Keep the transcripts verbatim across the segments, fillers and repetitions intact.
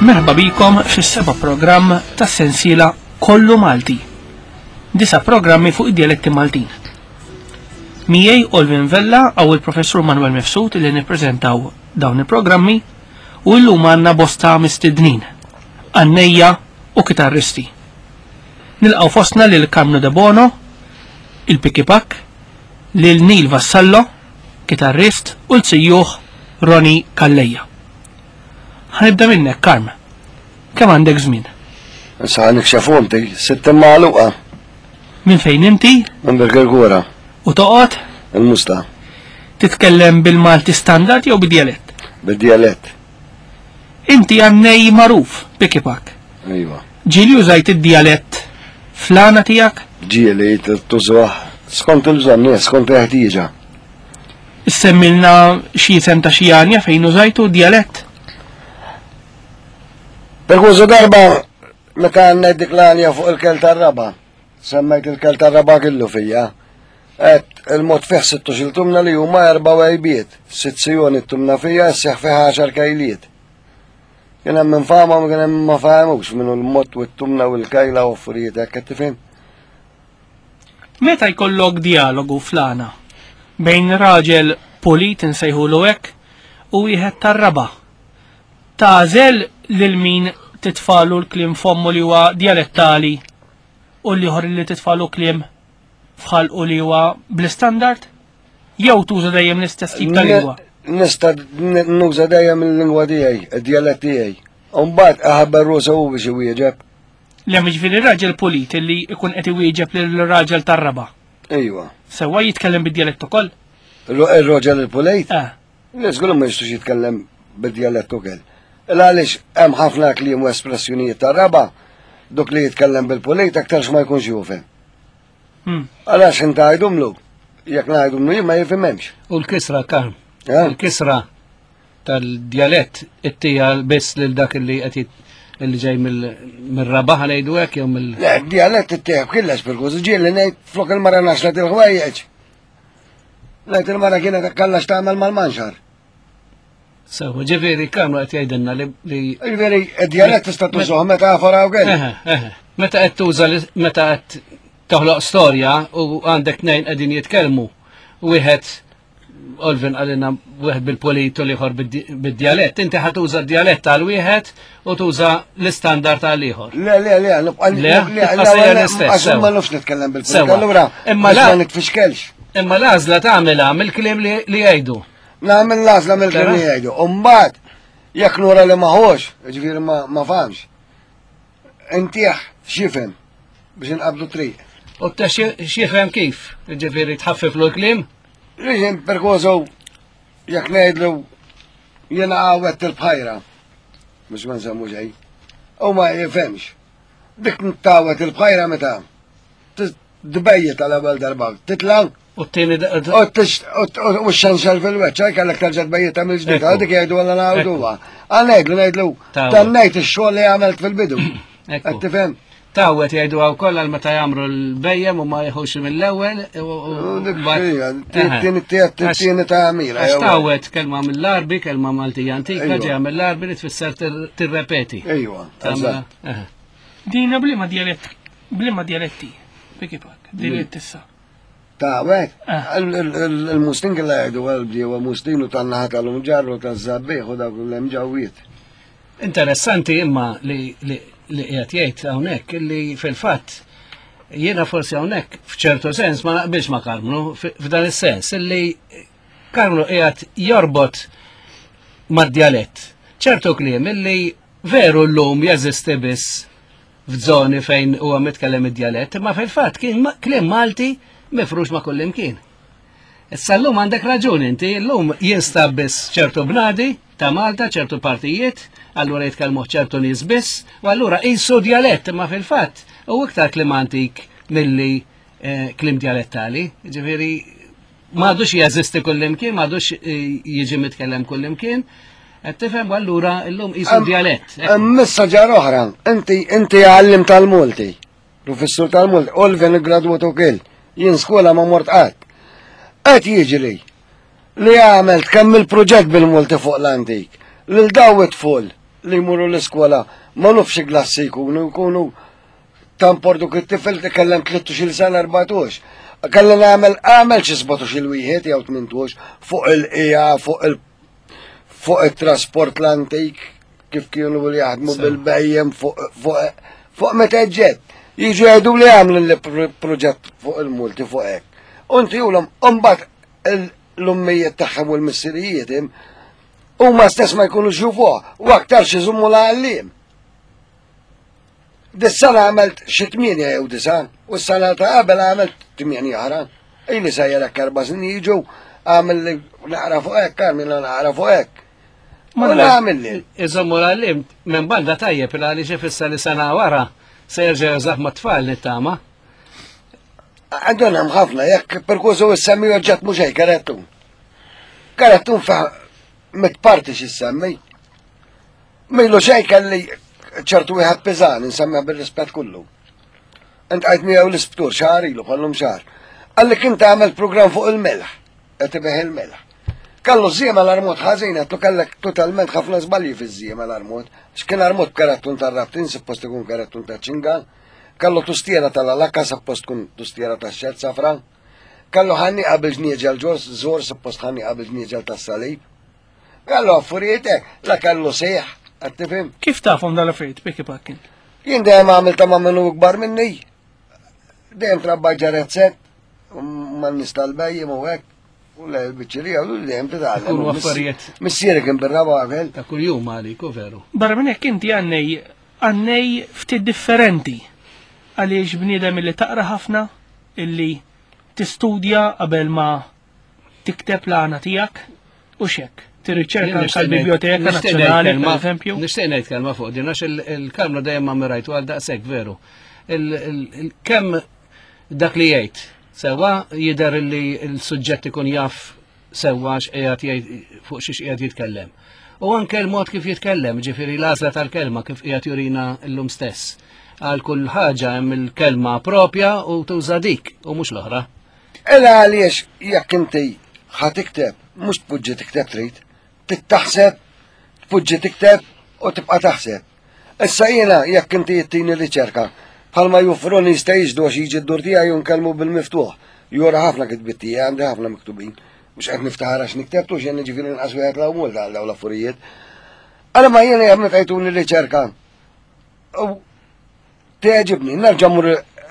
Merħba bikom fis-seba' programm tas-sensiela Kollu Malti. Disa' programmi fuq id-dialetti Maltin. Miegħi Olvin Vella għaw il-Professur Manuel Mifsud li nippreżentaw dawn il-programmi u llum għandna bosta mistednin, għannejja u kitarristi. Nilqgħu fostna lil Karmnu Debono, il-Piki Pak, lil Neil Vassallo, kitarrist, u l-sejjuħ Ronnie Calleja. Ħanibda minnek, Karm. Kemm għandek żmien? Issa nikxefu inti, sitt magħluqa. Minn fejn inti? Minn Birkirkura. U toqgħod? Il-Musta. Titkellem bil-Malti standard jew bid-djalett? Bid-djalett. Inti għannej magħruf, Piki Pak. Iva. Ġieli użajt id-djalett fl-għana tiegħek? Ġieli tużuh skont il-bżonn, skont il-ħtieġa. Issemmilna xi isem ta' xi għanja fejn użajtu djalett? Per darba meta għandna dik l-għanja fuq il-kel tar-raba, semmejt il-kel tar-raba kellu fija. Et il-mod fih sittu tumna li huma erba' wejbiet, sitt sijoni tumna fija, sseħ fih għaxar kajliet. Kien hemm min fahmhom, kien hemm ma fahmux minnu l-mod u t-tumna u l-kajla u affarijiet hekk qed tifhem. Meta jkollok dialogu fl-għana bejn raġel pulit insejħulu hekk u wieħed tar-raba', tagħżel lil min titfalu l-kliem fommu li huwa dialettali u l-ieħor li titfalu kliem f'ħalqu li huwa bl-istandard? Jew tuża dejjem l-istess tip ta' lingwa? Nista' nuża dejjem il-lingwa tiegħi, id-djalett tiegħi. U mbagħad aħabbar rusa hu biex iwieġeb. Le, jiġifieri raġel pulit li jkun qed iwieġeb lil raġel tar-raba'. Ejwa. Sewwa jitkellem bid-djalett ukoll? Ir-raġel il-pulit? Eh. Le, żgur ma jistax jitkellem bid-djalett ukoll. Għaliex hemm ħafna kliem u espressjonijiet tar-raba', dok li jitkellem bil-pulit aktarx ma jkunx jufhem. Għalax inta għajdumlu, jekk ngħidumlu jien ma jifhimhemx. U l-kisra, Karm, il-kisra tal-djalett ittija biss lil dak li qed li ġej mill-raba' ngħidu hekk jew mill. Le, d-djalett ittija b'killex bil-kuż, ġieli ngħid flok il-mara naxlet il-ħwejjeġ. Ngħid il-mara kienet kallax tagħmel mal-manxar. Sewa, ġifieri Karmnu qed jgħidilna li. Ġifieri id-djalett tista' tużuh metafora wkoll. Meta qed tuża meta qed toħloq storja u għandek tnejn qegħdin jitkellmu, wieħed Olvin qalilna wieħed bil-pulit u l-ieħor bid-djalett, inti ħa tuża d-djalett għal wieħed u tuża l-istandard għal ieħor. Le, le, le, nibqa' Le, tibqa' sejjer l-istess. Għax ma nafx nitkellem bil-pulit, allura Imma ma nitfixkelx. Imma l-għażla tagħmilha mill-kliem li jgħidu. Nagħmel l-għażla mill-kliem li jgħidu. U mbagħad jekk nura li maħux, ġifieri ma fahmx, intih x'jifhem biex inqabdu triq. U ta' x'jifhem kif? Ġifieri tħaffiflu l-kliem? Riġin perkożu jekk ngħidlu jiena għawet il-bħajra, biex ma nsemmu xejn, u ma jifhemx. Dik ntawet il-bħajra meta tbejjet għal ewwel darba, titla' U t-tieni u x-xanxel fil-weċċ, kellek terġa' tbejjet mill-ġdid, dik jgħidu għal ngħiduha. Għal ngħidlu ngħidlu tannejt ix-xogħol li għamilt fil-bidu. Qed tifhem? Tawet jgħidu għaw kollha meta jagħmlu l-bejjem u ma jħux mill-ewwel. Tieni ta' għamila. Għax tawet kelma mill-Arbi, kelma Maltija antika, ġejja mill-Arbi li tfisser tirrepeti. Ejwa. Dina bliema djalett, bliema djaletti, Piki Pak, djalett issa. Tawet, il-Mustin kella jgħidu għal-bdiewa Mustin u tan-naħa tal-Umġarru taż-Żabbieħ u dawk l-emġawiet. Interessanti imma li li qiegħed jgħid hawnhekk illi fil-fatt jiena forsi hawnhekk f'ċertu sens ma naqbilx ma' Karmnu f'dan is-sens illi Karmnu qiegħed jorbot mad-djalett ċertu kliem illi veru llum jeżisti biss f'żoni fejn huwa mitkellem id-djalett, imma fil-fatt kien kliem Malti mifrux ma' kullimkien. Issa llum għandek raġun inti, llum jinstab biss ċertu bnadi ta' Malta, ċertu partijiet, allura jitkellmu ċertu nies biss, u allura qisu djalett, imma fil-fatt u iktar kliem antik milli kliem djalettali. Ġifieri m'għadux jeżisti kullimkien, m'għadux jiġi mitkellem kullimkien. Qed tifhem, u allura llum qisu djalett. Missa ġar oħra, inti inti għallim tal-Multi, professur tal-Multi, Olvin iggradwat ukoll, jien skola ma mort qatt. Qed jiġri li għamelt kemm il-proġett bil-Multi fuq l-antik, lil daw it-tful li jmurru l-iskola ma nafx klassi jkunu, jkunu tampordu it-tifel tkellem tlettax-il sena erbatax. Kelli nagħmel għamel xi sbatax il wieħed jew tmintax fuq il-qija, fuq il fuq it-trasport l-antik, kif kienu li jaħdmu bil-bhejjem, fuq fuq fuq meta ġed. Jiġu jgħidu li għamlu li proġett fuq il-multi fuq hekk. Unti ulhom mbagħad l-ummijiet tagħhom u l-missirijiet huma stess ma jkunux jufuh u aktar xi żummu l-għalliem. Dis-sena għamilt xi tmienja jew disa' u s-sena ta' qabel għamilt tmienja oħra. Ili sejjer hekk erba' snin jiġu għamil li naqra fuq hekk, għamil li naqra fuq hekk. Ma nagħmel li. Iżommu l-għallim minn banda tajjeb il għaliex ifisser li sena wara se jerġa' jużah mat-tfal nittama. Għandhom hemm ħafna jekk perkużu issemmi oġġett mhux hekk karettun. Karettun fa' mitparti x'issemmi. Milu xejn kelli ċertu wieħed piżan, insemmiha bir-rispett kollu. Int għajt miegħu l-isptur xahar ilu bħallum xahar. Qalli kien tagħmel programm fuq il-melħ, qed ibih il-melħ. Kellu żiema l-armot ħażin, għatlu kellek totalment ħafna żbalji fiż-żiema l-armot. X'kien armot b'karattun tar-rabtin, suppost ikun karattun ta' ċinga. Kellu tustiera tal-alakka, suppost tkun tustiera tax-xed safra. Kellu ħanni qabel ġnieġel ġors, żor suppost ħanni qabel ġnieġel tas-salib. Kellu affarijiet hekk, la kellu sejħ, qed tifhem? Kif tafhom dal-affarijiet, Piki Pakkin? Jien dejjem għamil ta' ma' minnu ikbar minni. Dejjem trabba ġarezzet, ma' nies tal-bhejjem u hekk. U le l-biċċerija u dejjem titgħallem. Ikunu affarijiet. Missieri kien bir-raba għamel. Ta' kuljum għalik, u veru. Barra minn hekk inti għannej għannej ftit differenti. Għaliex bniedem illi taqra ħafna, illi tistudja qabel ma tikteb l-għana tiegħek u xek. Tirriċerka tal-Biblioteka Nazzjonali, per eżempju. Nixtieq ngħid kelma fuq din għax il-Karmnu dejjem ma mirajtu għal daqshekk veru. Kemm dak li jgħid sewwa jidher li l-suġġett ikun jaf sewwa x'qiegħed jgħid fuq xiex qiegħed jitkellem. U anke l-mod kif jitkellem, ġifieri l-għażla tal-kelma kif qiegħed jurina llum stess. Għal kull ħaġa hemm il-kelma propja u tuża dik u mhux l-oħra. Ela għaliex jekk inti ħa tikteb, mhux tpoġġi tikteb trid, tittaħseb, tpoġġi tikteb u tibqa' taħseb. Issa jiena jekk inti jittini riċerka, bħalma jufroni jista' jiġdu għax jiġi d-dur tiegħi u nkellmu bil-miftuħ. Jura ħafna kitbiet tiegħi, għandi ħafna miktubin. Mhux qed niftaħar għax niktebtu xejn jiġifieri nqas wieħed l multa għal dawn l-affarijiet. Għala ma jiena jekk meta jtuni riċerka. U teġibni, nerġa' mmur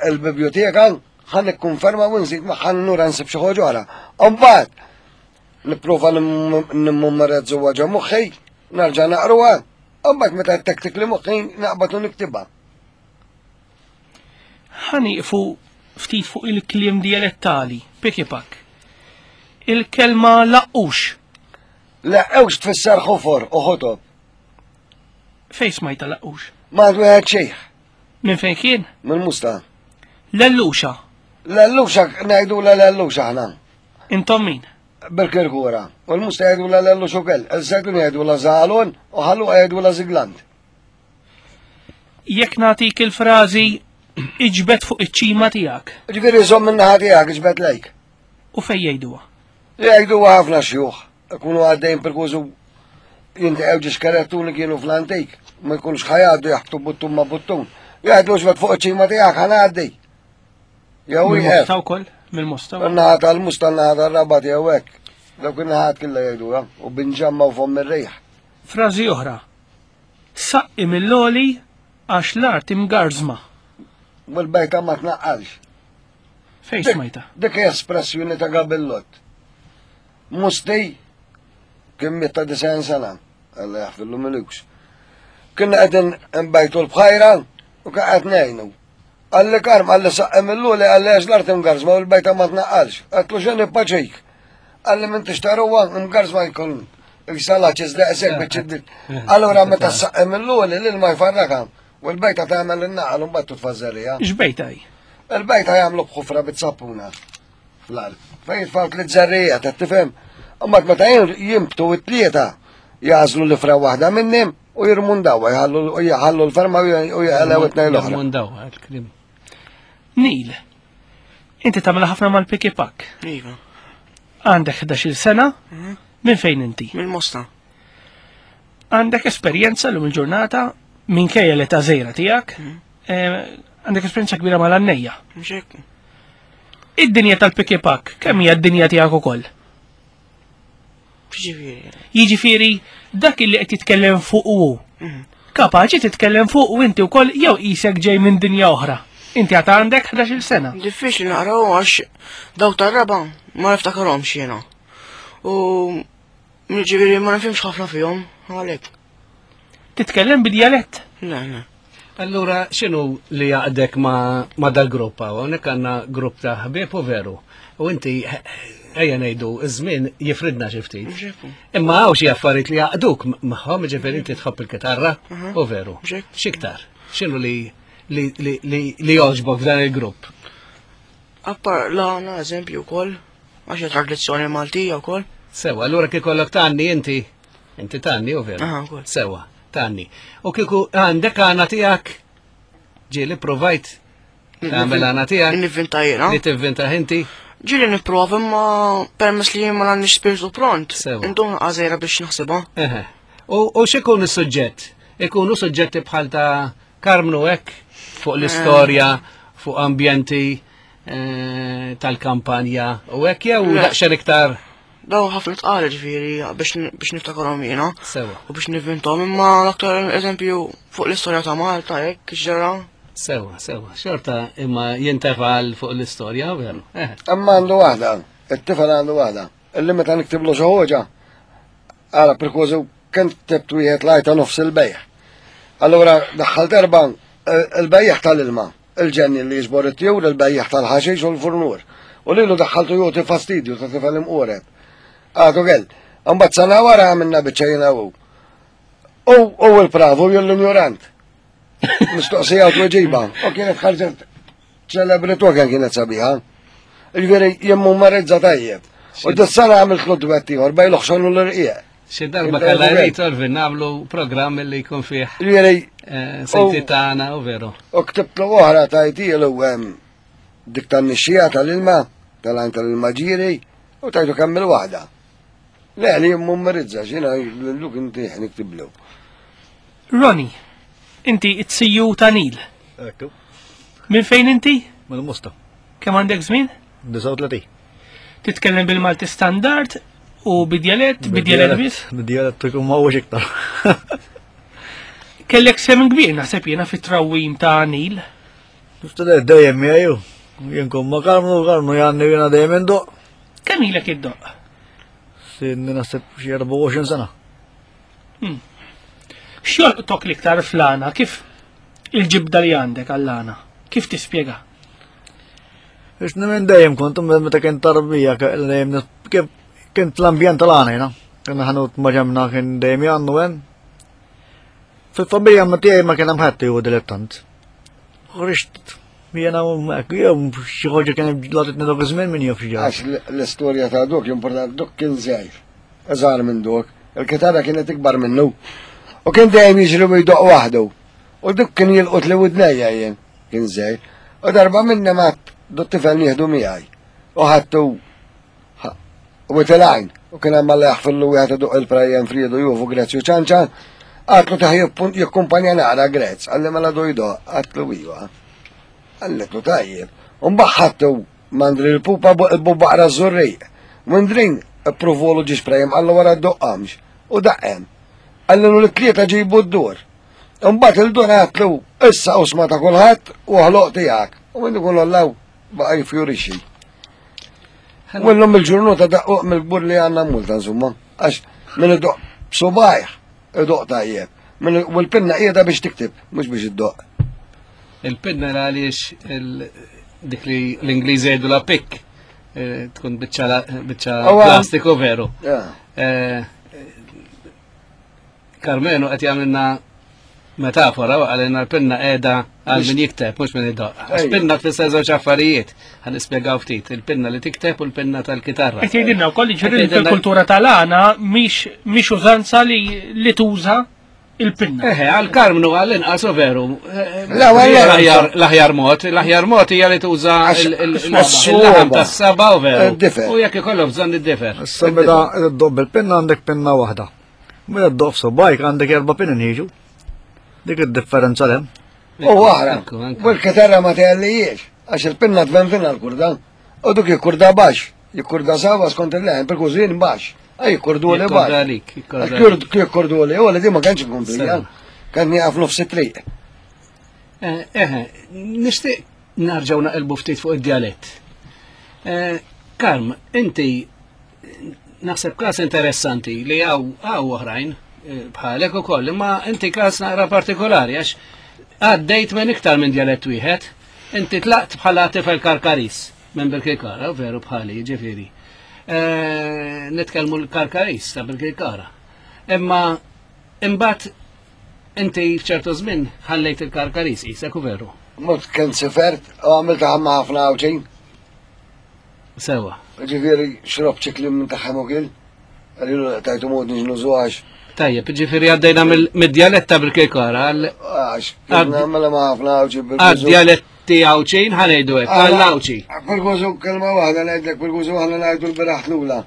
il-biblioteka, ħa nikkonferma u nżid ma ħa nura nsib xi ħaġa oħra. Mbagħad nipprova nimmemmorizzuha ġo moħħi, nerġa' naqruha, mbagħad meta tektik li moħħi naqbad u niktibha. Ħa nieqfu ftit fuq il-kliem dialettali, piki pak. Il-kelma laqqux. Laqqux tfisser ħofor u ħotob. Fejn smajta laqqux? Ma għandu wieħed xejn. Minn fejn kien? Minn Musta. Lelluxa. Lelluxa ngħidu la lelluxa aħna. Intom min? Bil-Kirkura. U l-Musta jgħidu la lellux ukoll. Il-Żejtun jgħidu la Zalon u Ħalluqa jgħidu la Ziglant. Jekk nagħtik il-frażi iġbed fuq iċ-ċima tiegħek. Ġifieri żomm min-naħa tiegħek iġbed lejk. U fejn jgħiduha? Jgħiduha ħafna xjuħ. Ikunu għaddejn perkużu jinteqgħu ġiex karettuni kienu fl-antik. Ma jkunux ħajgħaddu jaħbtu buttun ma' buttun. Jgħidu iġbed fuq iċ-ċima tiegħek ħangħaddi. Jew Mill-Mosta wkoll? Mill-Mosta. In-naħa tal-Musta, n-naħa tar-Rabat jew hekk. Dawk in-naħat kollha jgħiduha u binġamma u fomm ir-riħ. Frażi oħra. Saqqi mill-oli għax l-art imgarżma. U l-bejta ma tnaqqalx. Fejn smajta? Dik hija espressjoni ta' Gabillott. Musti kien miet ta' disgħin sena, Alla jaħfirlu milux. Kienna qegħdin nbejtu l-bħajra u kien qed ngħinu. Qalli Karm, qalli saqqi mill-luli, qalli għax l-art imgarżma u l-bejta ma tnaqqalx. Għedtlu x'inhi paċik. Qalli minn tixtaruha imgarżma jkun jisala ċiżdaqsek biex ċiddit. Allura meta saqqi mill-luli l-ilma jfarrakha u l-bejta tagħmel in-naqal u mbagħad titfażżerija. X'bejta hi? Il-bejta jagħmlu b'ħufra bit-sappuna fl-art. Fejn jitfgħu tliet żerrijiet, qed tifhem? Imbagħad meta jimbtu t-tlieta jażlu l-ifra waħda minnhom u jirmundawa, jħallu l-ferma u jħallew it-tnejn l-oħra. Jirmundawa, il-klim. Nil, inti tagħmel ħafna mal-piki pak. Iva. Għandek ħdax-il sena, minn fejn inti? Mill-Mosta. Għandek esperjenza l-lum il-ġurnata minkejja l-età żgħira tiegħek, eh, għandek esperjenza kbira mal-għannejja. Mhux hekk. Id-dinja tal-pikipak, kemm hija d-dinja tiegħek ukoll? Ġifieri. Jiġifieri dak li qed jitkellem fuq hu. Kapaċi titkellem fuq u inti wkoll jew qisek ġej minn dinja oħra. Inti għad għandek ħdax-il sena. Diffiċli naqraw għax dawk tar-raba ma niftakarhomx jiena. U ġifieri ma nifhimx ħafna fihom għalhekk. Titkellem bid-djalett. Le, le. Allura, x'inhu li jaqdek ma, ma dal-grupp hawn? Hawnhekk għandna grupp ta' ħbieb u veru. U inti, ejja ngħidu, iż-żmien jifridna xi ftit. Mhux hekk. Imma hawn xi affarijiet li jaqduk magħhom, ġifieri inti tħobb il-kitarra, u veru. Mhux hekk. X'iktar? X'inhu li li li li, li jogħġbok f'dan il-grupp? Appar l-għana eżempju wkoll, għax hija tradizzjoni Maltija wkoll. Sewa, allura kif kollok tgħanni inti, inti tgħanni u veru. Aha, wkoll. Sewa, tgħanni. U kieku għandek għana tiegħek ġieli provajt tagħmel għana tiegħek Nivvinta jiena. li tivvinta inti. Ġieli nipprova imma permess li ma għandix spiritu pront. Sewa. Indum għażejra biex naħsibha. Eħe. U, u x'ikun is-suġġett? Ikunu suġġetti bħal ta' Karmnu hekk fuq l-istorja, fuq ambjenti eh, tal-kampanja u hekk jew Le. daqsxejn iktar Daw ħafna tqal ġifieri biex biex niftakarhom jiena. sewa. U biex nivvintom imma l-aktar eżempju fuq l-istorja ta' Malta hekk ġara. Sewa, sewa. Xorta imma jintefal fuq l-istorja, veru. Eħe. Imma għandu waħda, it-tifel għandu waħda. Illi meta niktiblu xi ħoġa, ara perkważu kien ktibt wieħed lajta nofs il-bejħ. Allura daħħalt erba' il-bejjaħ tal-ilma, il-ġenni li jiġbor it-tjur, il-bejjaħ tal-ħaxix u l-furnur. U lilu daħħaltu joti fastidju ta' tifel imqoreb. Għadu għel, mbagħad sena wara għamilna biċċa jiena u. U u l-pravu jew l-ignorant. Mistoqsija u tweġiba. U kienet ħarġet ċelebritu kien kienet sabiħa. Ġifieri jemmu marrizza tajjeb. U dis-sena għamilt l duett ieħor bejn l-oħxon u l-irqieq. Xi darba kellha jrid Orvin nagħmlu programm li jkun fih Ġifieri eh, senti tagħna u veru. u ktibtlu oħra tajtielu hemm dik tan-nixxija tal-ilma, tal-għajn tal-ilma ġiri, u tajtu kemm il-waħda. Le, li jemmu marrizza, xina l-luk inti niktiblu. Ronnie, inti it-siju ta' Nil. Ekku, Minn fejn inti? mill-musta. Kemm għandek żmien? disgħa u tletin. Titkellem bil-Malti standard u bid-djalett, bid-djalett biss? Bid-djalett ikun ma huwiex iktar. Kellek semen kbir naħseb jiena fit-trawwim ta' Nil. Niftader dejjem miegħu. Jien kun ma Karmnu, Karmnu janni jiena dejjem indoq. Kemm ilek iddoq? Sinni naħseb xi erbgħa u għoxrin sena. X'jolqtok l-iktar fl-għana? Kif il-ġibda li għandek għall-għana? Kif tispjega? Biex minn dejjem kont meta kien tarbija dejjem nis- kif kien l-ambjent tal-għana jiena. Kien ħanut ma ġemna kien dejjem jgħannu hemm. Fil-familja ma tiegħi ma kien hemm ħadd jew dilettant. Ħriġt jiena hekk jew xi ħaġa kien laqtitni dak iż-żmien min jaf xi ġara. Għax l-istorja ta' dok importanti, dok kien żgħir. Iżgħar minn dok. Il-kitarra kienet ikbar minnu. U kien dejjem jiġri u jdoq waħdu. U dok kien jilqot li widnejja jien, kien żgħir. U darba minna ma dot tifel nieħdu miegħi. U ħadtu u tilajn. U kien hemm alla jaħfillu wieħed iduq il-prajjem Friedu Juvu Grezzju ċanċa. Għatlu taħ jikkumpanja naqra Grezz, għalli mela du jdoq, għatlu iva. Għalletlu tajjeb. U mbagħad mandri l-pupa il-bubaqra z-zurriq. Mandrin approvolu ġiex prejem għallu wara d-doqqamx. U daqqem. Għallu l-tlieta ġibu d-dur. Mbagħad il-dur għatlu issa usma ta' kulħadd u ħloq tiegħek. U minn ikun allaw baqa' jifjurixxi. U llum il-ġurnata daqquq mill-gbur li għandna multa insomma. Għax minn idoq b'subajh idoq tajjeb. Min- U l-pinna qiegħda biex tikteb, mhux biex iddoq. Il-pinna għaliex il- dik li l-Ingliżi jgħidu la pick eh, tkun biċċa la- biċċa Awa. plastiku veru. Ja. Eh, Karmenu qed jagħmilna metafora u għalina l-pinna qiegħda għal min jikteb mhux min idoq. Għax Ejja. pinna tfisser żewġ affarijiet. Ħa nispjegaw ftit, il-pinna li tikteb u l-pinna tal-kitarra. Qed jgħidilna wkoll jiġifieri Qed jgħidilna- fil-kultura tal-għana mhix mhix użanza li li tuża il-pinna. Eħe, għal Karmnu għall-inqas u veru. Eh, La, wella- L-aħjar l-aħjar mod, l-aħjar mod hija li tuża Għax- il- il- għax il-laħam s-soba. tas-saba u veru. Id-difer. U jekk ikollok bżonn id-difer. Issa meta iddoq bil-pinna għandek pinna waħda. Meta ddoqq subgħajk għandek erba' pinin jiġu. Dik id-differenza hemm. U oħra, Ekku, anke. u l-kitarra ma tgħallijiex, għax il-pinna tvenvina l-kurda. U duk jikkurda baxx, jikkurda sawa skont il-leħen, per kużin baxx. Għaj jikkurdu li Jikkorda baxx. għalik, jikkorda għalik. Kurd jikkurdu li, u li di ma kienx inkomplija. Sewa. Kien nieqaf nofs it-triq. Eh, eh, nixtieq narġgħu naqilbu ftit fuq id-djalett. Eh, Karm, inti naħseb każ interessanti li hawn hawn oħrajn eh, bħalek ukoll, imma inti każ naqra partikolari għax għaddejt minn iktar minn djalett wieħed. Inti tlaqt bħala tifel Karkaris minn Birkirkara, veru bħali, ġifieri. Eh, Nitkellmu l-Karkaris ta' Birkirkara. Imma imbagħad inti f'ċertu żmien ħallejt il-Karkaris isek u veru. Mort kien sifert u għamilt ħamma ħafna għawċin. Sewa. Ġifieri xrob ċikli minn taħħem u kil. Għalilu tajtu mod nġnużu għax. Tajjeb, ġifieri għaddejna mill- mid-djalett ta' Birkirkara għal Għax, kien nagħmel ma ħafna għawċin. għad-djaletti Għawċin ħanejdu hekk, għall-Għawċi. Pergużu kelma waħda ngħidlek, pergużu aħna ngħidu l-beraħ lula.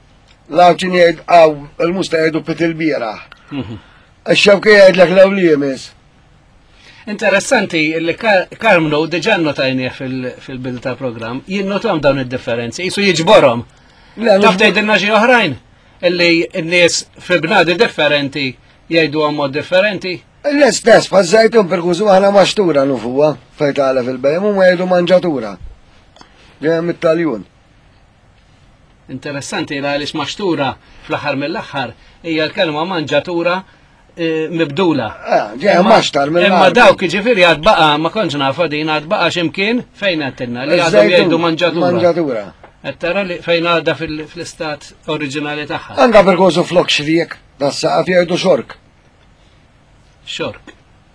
L-Għawċin jgħid għaw, il-musta jgħidu pit il-bieraħ. Mhm. Ix-xewki jgħidlek l li jemis. Interessanti li Kar- Karmnu diġà notajnieh fil- fil-bidu tal-programm, jinnotom dawn id-differenzi, jisu jiġborhom. Le, Taf tgħidilna xi oħrajn illi n-nies fi bnadi differenti jgħidu mod differenti. L-istess, pazzajtum pergużu aħna maxtura nufuwa, fejn tagħla fil-bejm, u ma jgħidu manġatura. Ġejja mit-Taljun. Interessanti la għaliex maxtura fl-aħħar mill-aħħar hija l-kelma manġatura eh, mibdula. Ah, ġejja Imma- maxtar mill Imma dawk ġifieri għad baqa ma kontx nafa din għad baqa x'imkien fejn għedtilna li għadhom jgħidu manġatura. Manġatura. Qed tara li fejn għadha fil- fl-istat oriġinali tagħha. Anka pergużu flok xriek, das-saqaf jgħidu xork. Xork.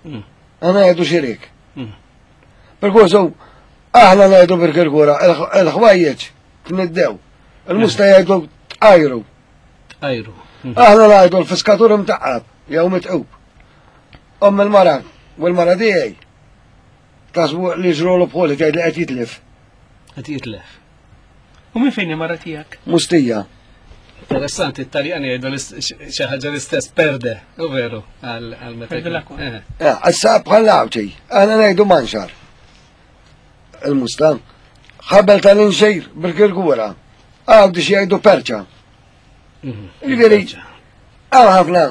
Għana jgħidu xirik. Mm. Pergużu, aħna ngħidu bil-kirkura, il-ħwajjeġ tniddew. Il-musta jgħidu tqajru. Ajru. Mm. Aħna ngħidu l-fiskatur imtaqqab, jew mitqub. Omm il-mara, u l-mara tiegħi. Tasbu li ġrolu bħoli tgħid li qed jitlef. Qed jitlef. U minn fejn il-mara tiegħek? Mustija. Interessanti, it-Taljani jgħidu l-ist- xi ħaġa l-istess perde, u veru, għal għal meta. Perde jkun- l-acqua. Eh, Eh, Issa bħal għawċi, aħna ngħidu manxar. Il-musta. Ħabel tal-inxejr bil-kirkura. Għawdi xi jgħidu perċa. mhm. Jiġifieri, Għaw ħafna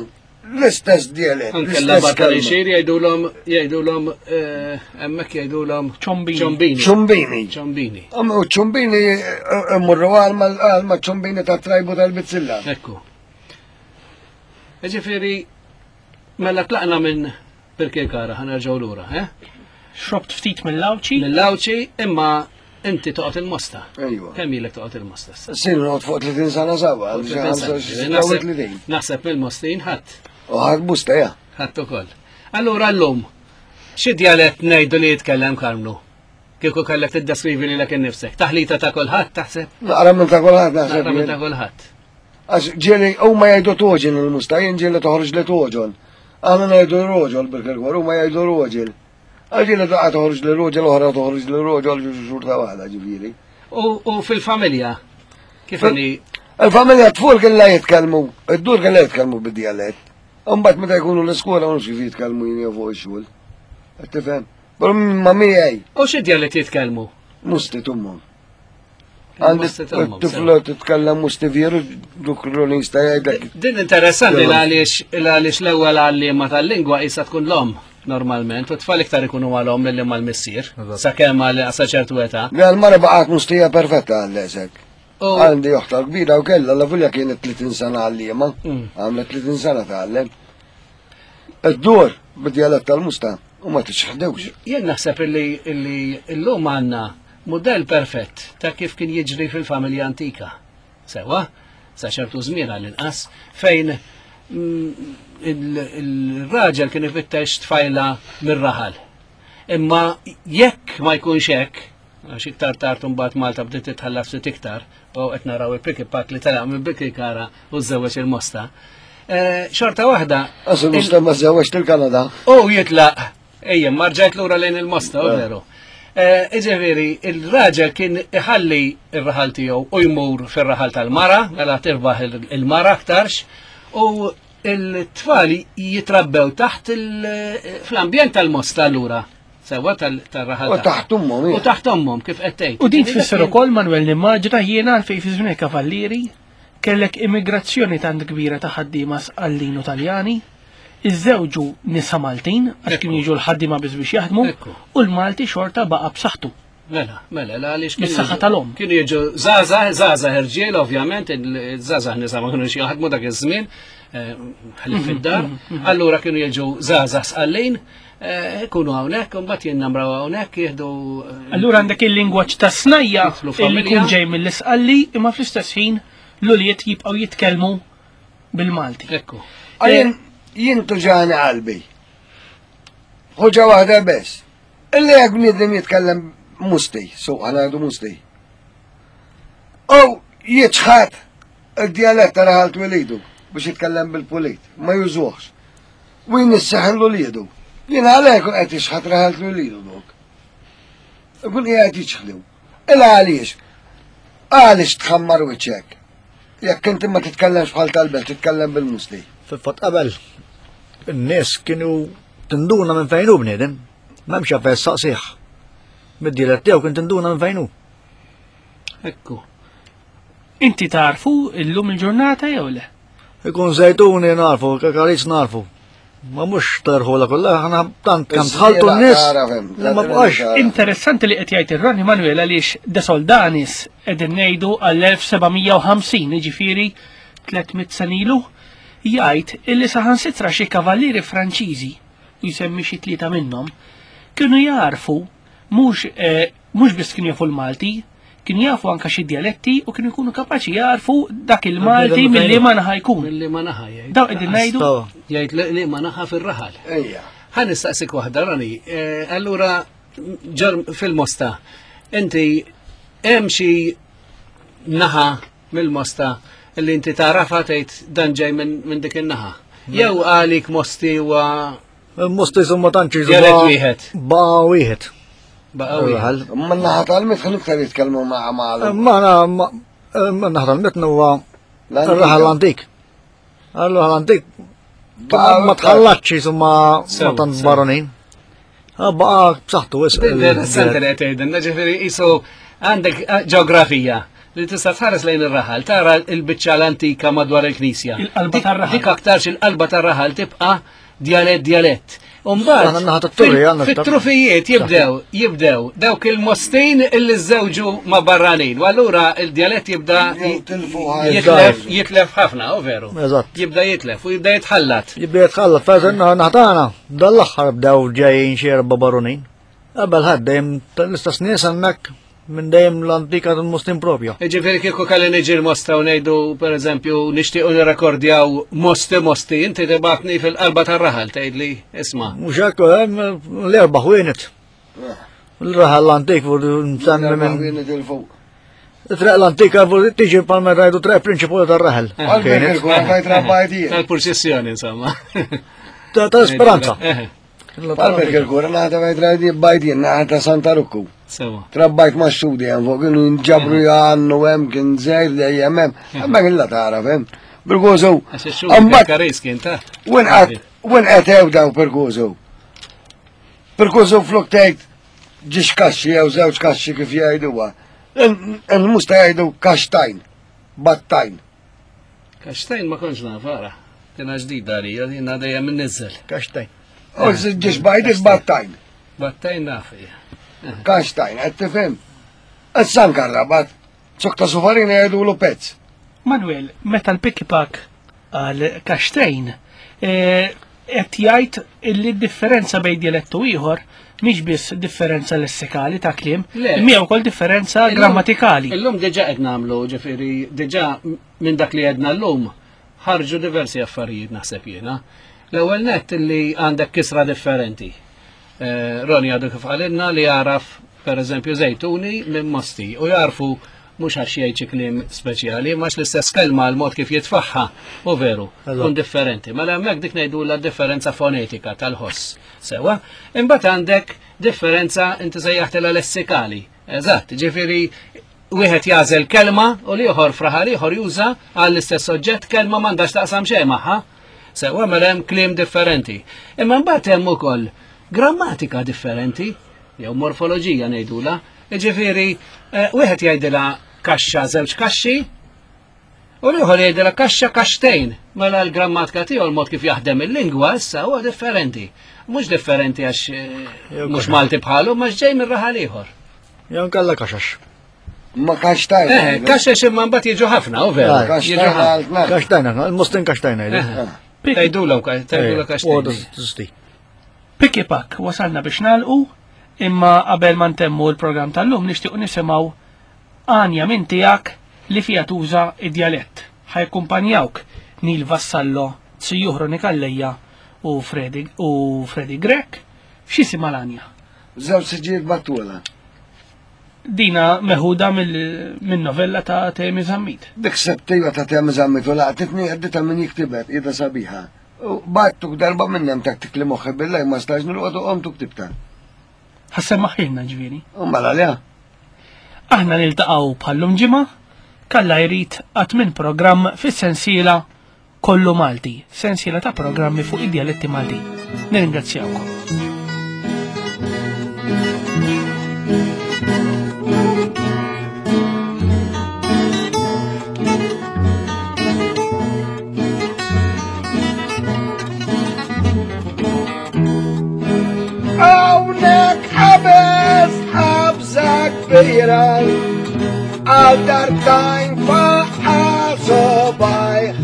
l-istess djalett. Anke l-istess l-labar kelma. tal-inxir jgħidulhom jgħidulhom eh, hemmhekk jgħidulhom Ċombini. ċombini. Ċumbini. Ċombini. Am- U ċumbini eh, immurru għal ma ċumbini ta' trajbu tal-bizzilla. Ekku. Ġifieri mela tlaqna minn Birkirkara ħanerġgħu lura, eh? Xrobt ftit mill-Għawċi? Mill-Għawċi imma inti toqgħod il-Mosta. Ejwa. Kemm ilek toqgħod il-Mosta issa? Sin noqgħod fuq tletin sena sawa, għal xi Naħseb tletin. naħseb mill-Mostin ħadd, U ħadd busta ja. ħadd ukoll. Allura llum xi djalett ngħidu li jitkellem Karmnu? Kieku kellek tiddeskrivi lilek innifsek. Taħlita ta' kulħadd taħseb? Naqra minn ta' kulħadd naħseb. Naqra minn ta' jien. kulħadd. Għax ġieli huma jgħidu toġin il-musta, jien ġieli toħroġ li toġon. Aħna ngħidu roġol bil-kirkor, huma jgħidu roġel. Għax ġieli daqqa toħroġ li roġel, oħra toħroġ li roġol, xorta waħda ġifieri. U, u fil-familja, kif Fil- inhi Il-familja tful kien la jitkellmu, id-dur kien la jitkellmu bid-dialett. Imbagħad meta jkunu l-iskola mhux kif jitkellmu jien jew fuq ix-xogħol. Qed tifhem? Però ma miegħi U xi djalett jitkellmu? musti tummhom. Għandi Musti tummhom, tifla titkellem musti veru duk ronista jgħidlek. Din interessanti Jalla. għaliex għaliex l-ewwel għalliema tal-lingwa qisha tkun l-omm normalment, u t-tfal iktar ikunu mal-omm milli mal-missier, sakemm għal sa ċertu età. Le l-mara baqgħet mustija perfetta għall-esek. U Għandi oħta kbira u kella la fulja kienet tletin sena għalliema, Mm. għamlet tletin sena tgħallem. Id-dur bid-djalett tal-musta u ma tixħdewx. jien naħseb illi illi llum għandna mudell perfett ta' kif kien jiġri fil-familja antika. Sewa, sa ċertu żmien għall-inqas, fejn mm, il- il-raġel kien ifittex tfajla mir-raħal. Imma jekk ma jkunx hekk, għax iktar tard imbagħad Malta bdiet titħalla ftit iktar, u qed naraw il-pick pak li telaq minn Birkirkara u żewweġ il-Mosta. Eh, Xorta waħda, Għax il-musta ma żewweġ il-Kanada. U jitlaq, ejja, marġajt lura lejn il-Mosta, u veru. Eh, Iġifieri, il-raġel kien iħalli il-raħal tiegħu u jmur fir-raħal tal-mara, mela tirbaħ il- il-mara aktarx, u il-tfal jitrabbew taħt il- fl-ambjent tal-Mosta allura. Sewa tal-raħal. U taħt ommhom, U taħt ommhom kif qed tgħid. U din tfisser ukoll Manuel nimmaġina jiena għalfejn fi żmien il-Kavallieri kellek immigrazzjoni tant kbira ta' ħaddiema Sqallin u Taljani, iżżewġu nisa Maltin għax kienu jiġu l-ħaddiema biss biex jaħdmu Ekku. u l-Malti xorta baqa' b'saħħtu. Mela, mela, la għaliex kienu Bis-saħħa jiġu- tal-omm. Kienu jiġu żgħażagħ, żgħażagħ irġiel, ovvjament, il-żgħażagħ nisa ma kienux jaħdmu dak iż-żmien, eh, ħlief fid-dar. Allura kienu jiġu żgħażagħ Sqallin, eh, ikunu hawnhekk, u mbagħad jinnamraw hawnhekk jieħdu eh, Allura għandek il-lingwaġġ ta' snajja Jidħlu illi familja. jkun ġej mill-Isqalli imma fl-istess ħin l-ulied jibqgħu jitkellmu bil-Malti. Ekku. Għajn, jien tuġani qalbi. Ħuġa waħda biss. Illi jekk bniedem jitkellem musti, so għana għadu musti. U jitxħat il-dialett ta' raħal twelidu biex jitkellem bil-pulit, ma jużuħx. U jnisseħ l-liedu. Jien għalek kun qed jixħat raħal twelidu dok. Ikun qiegħed jiċħlu. Illa għaliex? Għaliex tħammar wiċċek? Jekk inti ma titkellemx bħal tal-belt, titkellem bil-musti. Fil-fatt qabel, in-nies kienu tinduna minn fejn hu bniedem, m'hemmx għalfejn saqsih. Mid-dialett tiegħu kien tinduna minn fejn hu. Ekku. Inti tarfu illum il-ġurnata jew le? Ikun Żejtuni narfu, Kakaris narfu. Ma mhux tarħula kollha, aħna tant kemm tħaltu n-nies. li Ma bqax. Interessanti li qed jgħid ir-Ronnie Manuel għaliex De Soldanis qegħdin ngħidu għall-elf seba' mija u ħamsin, jiġifieri tliet mitt sena ilu, jgħid illi saħansitra xi kavallieri Franċiżi, u jsemmi xi tlieta minnhom, kienu jarfu mhux eh, mhux biss kienu jafu l-Malti, kienu jafu anka xi dialetti u kienu jkunu kapaċi jarfu dak il-Malti Minn milli ma naħa jkun. Milli ma naħa jgħid. Daw qegħdin ngħidu Stawa. Jgħid li- li ma naħa fir-raħal. Ejja. Ħa nistaqsik waħda, Rani. Eh, Allura, ġar fil-Mosta, inti hemm xi naħa mill-Mosta li inti tarafa tgħid dan ġej minn min dik in-naħa. Jew għalik Mosti huwa Il-Mosti ma tantx Dialett wieħed. Baqa wieħed. baqa' wieħed. Raħal. Ma naħa tal-mitħan iktar jitkellmu ma' ma' Ma na ma naħa tal-mitn huwa ir-raħal l-antik. Allura l-antik ma tħallatx insomma ma Sew, tant sew. baronin. Ah, Baqa b'saħħtu wisq. Interessanti li qed tgħidilna, ġifieri qisu għandek eh, ġeografija li tista' tħares lejn ir-raħal, tara l-biċċa l-antika madwar il-knisja. Il-qalba Dik- tar-raħal. Dik aktarx il-qalba tar-raħal tibqa' djalett djalett. Umbagħad Aħna naħa tat-turri, fil- għandna fit-trufijiet jibdew, jibdew dawk il-mostin illi żewġu ma' barranin. U allura il-djalett jibda Jew tilfu ħajja. jitlef jitlef ħafna, u veru. Eżatt. Jibda jitlef u jibda jitħallat. Jibda jitħallat, fejn naħtana, dal-aħħar bdew ġejjin xi erba' baronin. Qabel ħadd dejjem tal-istess nies hemmhekk minn dejjem l-antika tal-Muslim propja. Ġifieri kieku kalli niġi l-Mosta u ngħidu, per eżempju, nixtiequ nirrekordjaw Mosti Mosti, inti tibatni fil-qalba tar-raħal tgħidli isma'. Mhux hekk hemm l-erba' ħwienet. Il-raħal l-antik fu nsemmi minn Ħwienet il-fuq. Triq l-antika fu tiġi palma rajdu triq prinċipali tar-raħal. Għalfejn Kienet. il-kura fejn trabbajt jien. Tal-purċissjoni, insomma. Ta' tal-Speranza. Eh, Għalfejn il-kura naħta fejn trabbajt jien, naħta Santa Rukku. Sewa. Trabbajt ma' xudi hemm fuq kienu jinġabru jgħannu hemm kien żgħir dejjem hemm. Hemmhekk illa tara hemm. Perkozu. Għax ix-xhur karis kien ta' Wen qed wen qed hew daw perkozu. Perkozu flok tgħid ġiex kaxxi jew żewġ kaxxi kif jgħiduha. Il-musta jgħidu kaxtajn, battajn. Kaxtajn ma kontx naf, ara. Kiena ġdida għalija, jiena dejjem innizzel. Kaxtajn. U ġiex bajdit battajn. Battajn naf hija. Kaxtajn, qed tifhem. Issa nkarrabat. Zokk ta' sufarina jgħidulu pezz. Manuel, meta l-Pikipak għal kaxtejn, eh, qed jgħid illi differenza bejn dialettu ieħor mhix biss differenza lessikali ta' kliem, Le. imma hija wkoll differenza Illum- grammatikali. Illum diġà qed nagħmlu, ġifieri diġà minn dak li għedna llum ħarġu diversi affarijiet naħseb jiena. L-ewwel nett li għandek kisra differenti. Eh, Roni għadu kif qalilna li jaraf per eżempju Żejtuni minn Mosti u jarfu mhux għax jgħid xi kliem speċjali, ma l-istess kelma l-mod kif jitfaħħa u veru, kun differenti. Mela hemmhekk dik ngħidu la differenza fonetika tal-ħoss. Sewa, imbagħad għandek differenza inti sejjaħtilha lessikali. Eżatt, ġifieri wieħed jażel kelma u l-ieħor fraħar ieħor juża għall-istess oġġett kelma m'għandax taqsam xejn magħha. Sewwa mela hemm kliem differenti. Imma mbagħad hemm ukoll grammatika differenti, jew morfoloġija ngħidula. Jiġifieri eh, wieħed jgħidilha kaxxa żewġ kaxxi, u l-ieħor jgħidilha kaxxa kaxtejn. Mela l-grammatika tiegħu l-mod kif jaħdem il-lingwa issa huwa differenti. Mhux differenti għax eh, Jew mhux kaxxa. Malti bħalu, ma ġej minn raħal ieħor. Jew nkella kaxax. Ma kaxtajna. Eh, kaxex imma mbagħad jiġu ħafna, u veru. Ah, Jiġu Kaxtajna ħafna. għal tnax. Kaxtajna, il-mustin kaxtajna jgħidu. Eh, Tgħidulhom tgħidulhom kaxtejn. Piki pak, wasalna biex nalqu, imma qabel ma ntemmu l-programm tal-lum nixtiequ nisimgħu għanja minn tiegħek li fija tuża id-djalett. Ħajkumpanjawk Neil Vassallo, Sijuħro Nikalleja u Freddy u Freddy Grech. X'jisimha l-għanja? Żewġ siġijiet battula. Dina meħuda mill- minn novella ta' Temi Zammit. Dik sebtija ta' Temi Zammit u laqtitni għaddita minn jiktibet, ida sabiħa. U battuk darba minnem taktik li moħħi billaj ma stax nilqotu qomtu ktibta. Ħassemmaħilna ġifieri. U mela le. Aħna niltaqgħu bħallum ġimgħa, kalla jrid qatt minn programm fis-sensiela Kollu Malti, sensiela ta' programmi fuq id-djaletti Maltin. Nirringrazzjawkom. Hawnhekk qabeż qabża kbira għal darbtajn faqa' sobajh.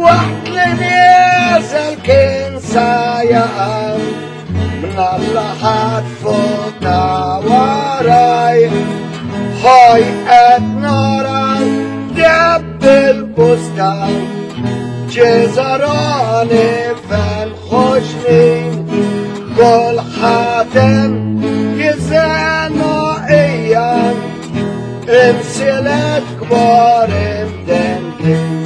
Waqt li nieżel kien sa jaqa' minn Alla ħadd fuq ta' waraj. Ħoj qed nara deb il-bustan Ċesaroni fen ħoxnin Kol ħatem jizenu ijam Imsilet kbar imdendin.